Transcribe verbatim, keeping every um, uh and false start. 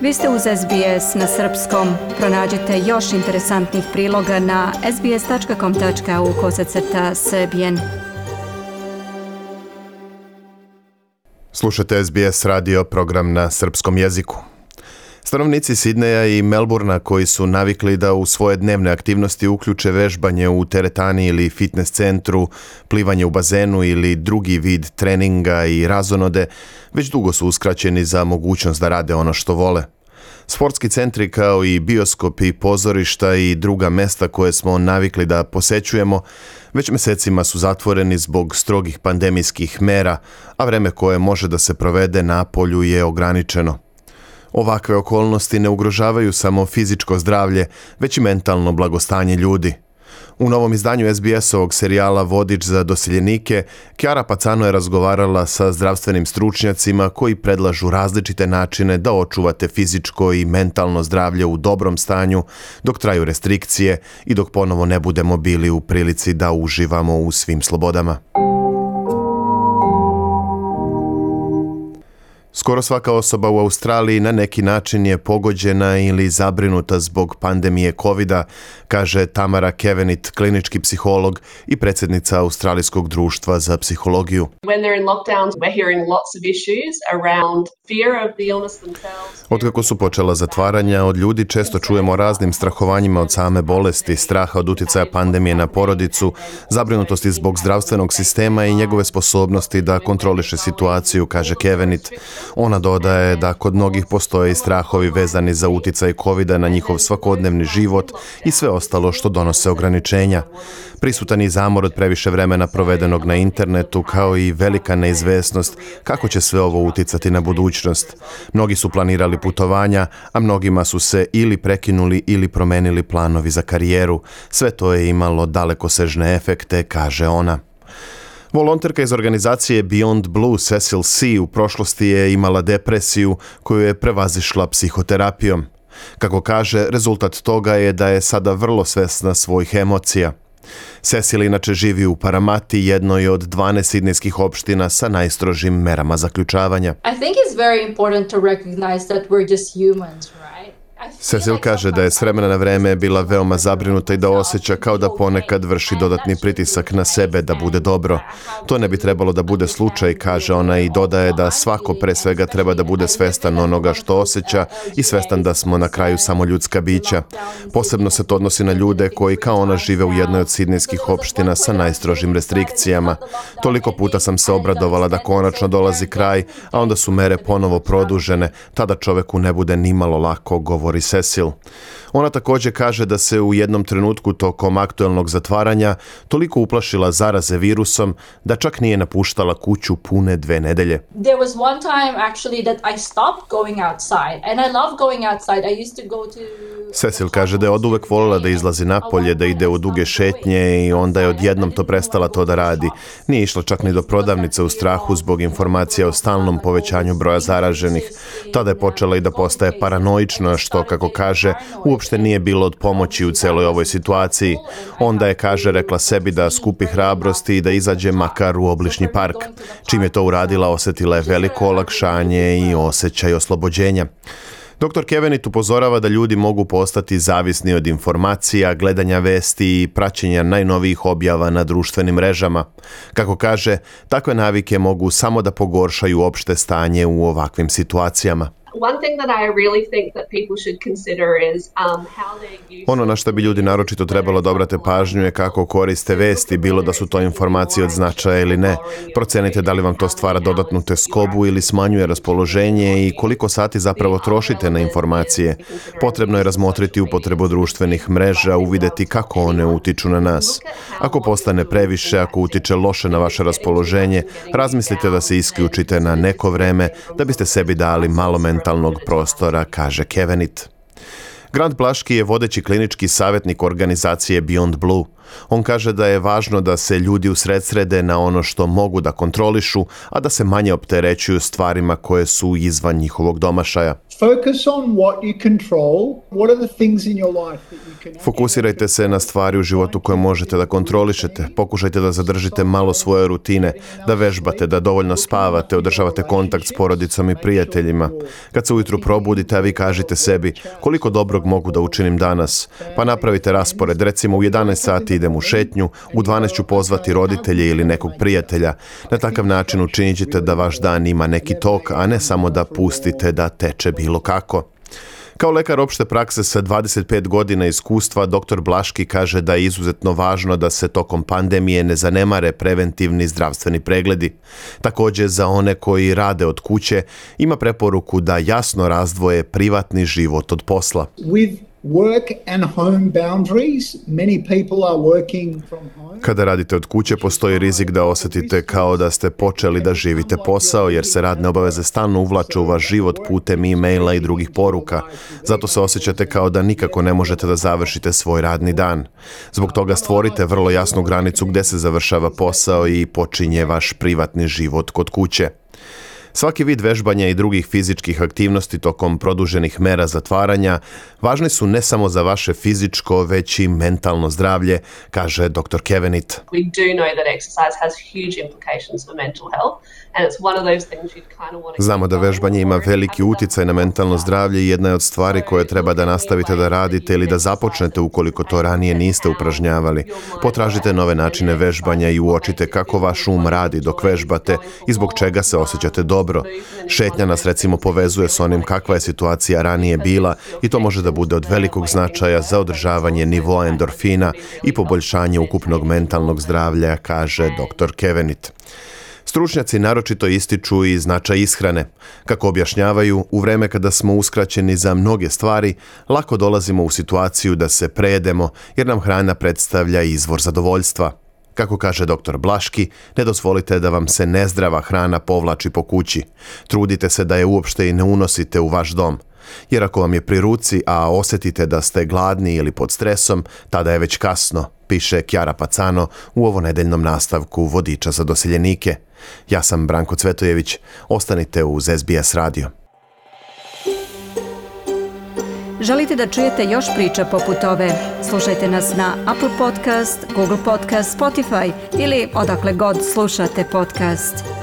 Vi ste uz S B S na srpskom. Pronađite još interesantnih priloga na sbs.com.au kosacrta srbijen. Slušate S B S radio, program na srpskom jeziku. Stanovnici Sidneja i Melburna koji su navikli da u svoje dnevne aktivnosti uključe vežbanje u teretani ili fitness centru, plivanje u bazenu ili drugi vid treninga i razonode, već dugo su uskraćeni za mogućnost da rade ono što vole. Sportski centri kao i bioskopi, pozorišta i druga mesta koje smo navikli da posećujemo već mjesecima su zatvoreni zbog strogih pandemijskih mera, a vreme koje može da se provede na polju je ograničeno. Ovakve okolnosti ne ugrožavaju samo fizičko zdravlje, već i mentalno blagostanje ljudi. U novom izdanju S B S-ovog serijala Vodič za doseljenike, Chiara Pacano je razgovarala sa zdravstvenim stručnjacima koji predlažu različite načine da očuvate fizičko i mentalno zdravlje u dobrom stanju dok traju restrikcije i dok ponovo ne budemo bili u prilici da uživamo u svim slobodama. Skoro svaka osoba u Australiji na neki način je pogođena ili zabrinuta zbog pandemije kovida, kaže Tamara Kevenit, klinički psiholog i predsjednica Australijskog društva za psihologiju. Otkako su počela zatvaranja, od ljudi često čujemo o raznim strahovanjima od same bolesti, straha od utjecaja pandemije na porodicu, zabrinutosti zbog zdravstvenog sistema i njegove sposobnosti da kontroliše situaciju, kaže Kevenit. Ona dodaje da kod mnogih postoje i strahovi vezani za utjecaj kovida na njihov svakodnevni život i sve ostalo što donose ograničenja. Prisutan i zamor od previše vremena provedenog na internetu, kao i velika neizvesnost kako će sve ovo utjecati na budućnost. Mnogi su planirali putovanja, a mnogima su se ili prekinuli ili promenili planovi za karijeru. Sve to je imalo dalekosežne efekte, kaže ona. Volonterka iz organizacije Beyond Blue Cecil C. u prošlosti je imala depresiju koju je prevazišla psihoterapijom. Kako kaže, rezultat toga je da je sada vrlo svesna svojih emocija. Cecil inače živi u Paramati, jednoj od dvanaest sidnejskih opština sa najstrožim merama zaključavanja. I think it's very important to recognize that we're just humans, right? Cecil kaže da je s vremena na vreme bila veoma zabrinuta i da osjeća kao da ponekad vrši dodatni pritisak na sebe da bude dobro. To ne bi trebalo da bude slučaj, kaže ona, i dodaje da svako pre svega treba da bude svestan onoga što osjeća i svestan da smo na kraju samo ljudska bića. Posebno se to odnosi na ljude koji kao ona žive u jednoj od sidnejskih opština sa najstrožim restrikcijama. Toliko puta sam se obradovala da konačno dolazi kraj, a onda su mere ponovo produžene, tada čoveku ne bude nimalo lako, govori Cecil. Ona također kaže da se u jednom trenutku tokom aktuelnog zatvaranja toliko uplašila zaraze virusom da čak nije napuštala kuću pune dve nedelje. There was one time actually that I stopped going outside and I love going outside. I used to go to Cecil kaže da je oduvek voljela da izlazi napolje, da ide u duge šetnje i onda je odjednom to prestala to da radi. Nije išla čak ni do prodavnice u strahu zbog informacija o stalnom povećanju broja zaraženih. Tada je počela i da postaje paranoična, što, kako kaže, uopšte nije bilo od pomoći u celoj ovoj situaciji. Onda je, kaže, rekla sebi da skupi hrabrosti i da izađe makar u obližnji park. Čim je to uradila, osjetila je veliko olakšanje i osjećaj oslobođenja. doktor Kevenit upozorava da ljudi mogu postati zavisni od informacija, gledanja vesti i praćenja najnovijih objava na društvenim mrežama. Kako kaže, takve navike mogu samo da pogoršaju opšte stanje u ovakvim situacijama. Ono na što bi ljudi naročito trebalo da obrate pažnju je kako koriste vesti, bilo da su to informacije od značaja ili ne. Procenite da li vam to stvara dodatnu teskobu ili smanjuje raspoloženje i koliko sati zapravo trošite na informacije. Potrebno je razmotriti upotrebu društvenih mreža, uvideti kako one utiču na nas. Ako postane previše, ako utiče loše na vaše raspoloženje, razmislite da se isključite na neko vreme da biste sebi dali malo mentalnog prostora, kaže Kevenit. Grant Blaški je vodeći klinički savjetnik organizacije Beyond Blue. On kaže da je važno da se ljudi usredsrede na ono što mogu da kontrolišu, a da se manje opterećuju stvarima koje su izvan njihovog domašaja. Focus on what you control. What are the things in your life that you can... Fokusirajte se na stvari u životu koje možete da kontrolišete. Pokušajte da zadržite malo svoje rutine, da vežbate, da dovoljno spavate, održavate kontakt s porodicom i prijateljima. Kad se ujutru probudite, a vi kažite sebi koliko dobrog mogu da učinim danas, pa napravite raspored. Recimo u jedanaest sati idem u šetnju, u dvanaest ću pozvati roditelje ili nekog prijatelja. Na takav način učinit ćete da vaš dan ima neki tok, a ne samo da pustite da teče bilo kako. Kao lekar opšte prakse sa dvadeset pet godina iskustva, doktor Blaški kaže da je izuzetno važno da se tokom pandemije ne zanemare preventivni zdravstveni pregledi. Također, za one koji rade od kuće, ima preporuku da jasno razdvoje privatni život od posla. With work and home boundaries, many people are working from home. Kada radite od kuće, postoji rizik da osjetite kao da ste počeli da živite posao, jer se radne obaveze stalno uvlače u vaš život putem e-maila i drugih poruka. Zato se osjećate kao da nikako ne možete da završite svoj radni dan. Zbog toga stvorite vrlo jasnu granicu gde se završava posao i počinje vaš privatni život kod kuće. Svaki vid vežbanja i drugih fizičkih aktivnosti tokom produženih mera zatvaranja važni su ne samo za vaše fizičko, već i mentalno zdravlje, kaže doktor Kevenit. We do know that exercise has huge implications for mental health, and it's one of those things you'd kind of want to... Znamo da vežbanje ima veliki uticaj na mentalno zdravlje i jedna je od stvari koje treba da nastavite da radite ili da započnete ukoliko to ranije niste upražnjavali. Potražite nove načine vežbanja i uočite kako vaš um radi dok vežbate i zbog čega se osjećate dobro. Šetnja nas recimo povezuje s onim kakva je situacija ranije bila i to može da bude od velikog značaja za održavanje nivoa endorfina i poboljšanje ukupnog mentalnog zdravlja, kaže doktor Kevenit. Stručnjaci naročito ističu i značaj ishrane. Kako objašnjavaju, u vreme kada smo uskraćeni za mnoge stvari, lako dolazimo u situaciju da se prejedemo jer nam hrana predstavlja izvor zadovoljstva. Kako kaže doktor Blaški, ne dozvolite da vam se nezdrava hrana povlači po kući. Trudite se da je uopšte i ne unosite u vaš dom. Jer ako vam je pri ruci, a osjetite da ste gladni ili pod stresom, tada je već kasno, piše Kjara Pacano u ovonedeljnom nastavku Vodiča za doseljenike. Ja sam Branko Cvetojević, ostanite uz S B S radio. Želite da čujete još priča poput ove? Slušajte nas na Apple Podcast, Google Podcast, Spotify ili odakle god slušate podcast.